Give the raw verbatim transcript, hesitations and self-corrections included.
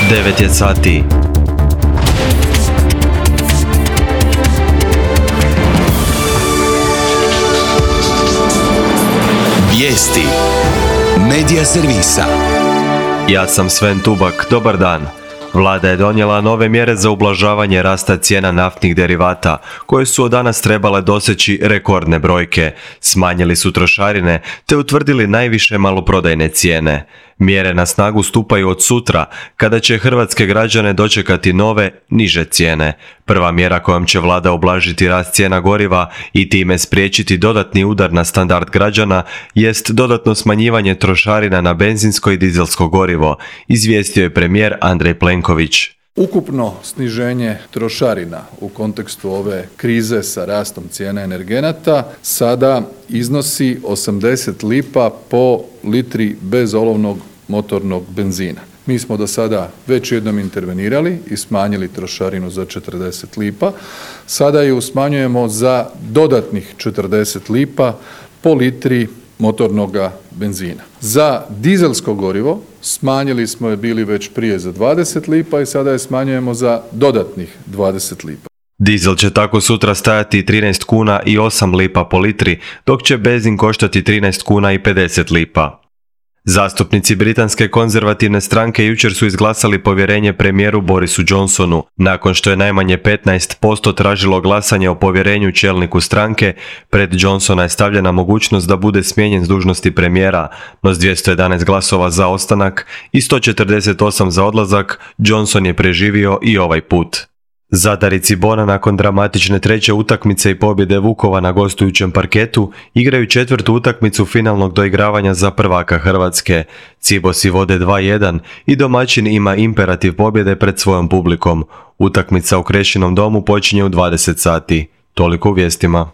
devet je sati. Vijesti Medija servisa. Ja sam Sven Tubak, dobar dan. Vlada je donijela nove mjere za ublažavanje rasta cijena naftnih derivata, koje su od danas trebale doseći rekordne brojke. Smanjili su trošarine, te utvrdili najviše maloprodajne cijene. Mjere na snagu stupaju od sutra, kada će hrvatske građane dočekati nove, niže cijene. Prva mjera kojom će vlada ublažiti rast cijena goriva i time spriječiti dodatni udar na standard građana jest dodatno smanjivanje trošarina na benzinsko i dizelsko gorivo, izvijestio je premijer Andrej Plenković. Ukupno sniženje trošarina u kontekstu ove krize sa rastom cijena energenata sada iznosi osamdeset lipa po litri bezolovnog motornog benzina. Mi smo do sada već jednom intervenirali i smanjili trošarinu za četrdeset lipa. Sada ju smanjujemo za dodatnih četrdeset lipa po litri motornoga benzina. Za dizelsko gorivo smanjili smo je bili već prije za dvadeset lipa i sada je smanjujemo za dodatnih dvadeset lipa. Dizel će tako sutra stajati trinaest kuna i osam lipa po litri, dok će benzin koštati trinaest kuna i pedeset lipa. Zastupnici britanske konzervativne stranke jučer su izglasali povjerenje premijeru Borisu Johnsonu. Nakon što je najmanje petnaest posto tražilo glasanje o povjerenju čelniku stranke, pred Johnsona je stavljena mogućnost da bude smijenjen s dužnosti premijera, no s dvjesto jedanaest glasova za ostanak i sto četrdeset osam za odlazak, Johnson je preživio i ovaj put. Zadar i Cibona nakon dramatične treće utakmice i pobjede Vukova na gostujućem parketu igraju četvrtu utakmicu finalnog doigravanja za prvaka Hrvatske. Cibosi vode dva jedan i domaćin ima imperativ pobjede pred svojom publikom. Utakmica u Krešinom domu počinje u dvadeset sati. Toliko u vijestima.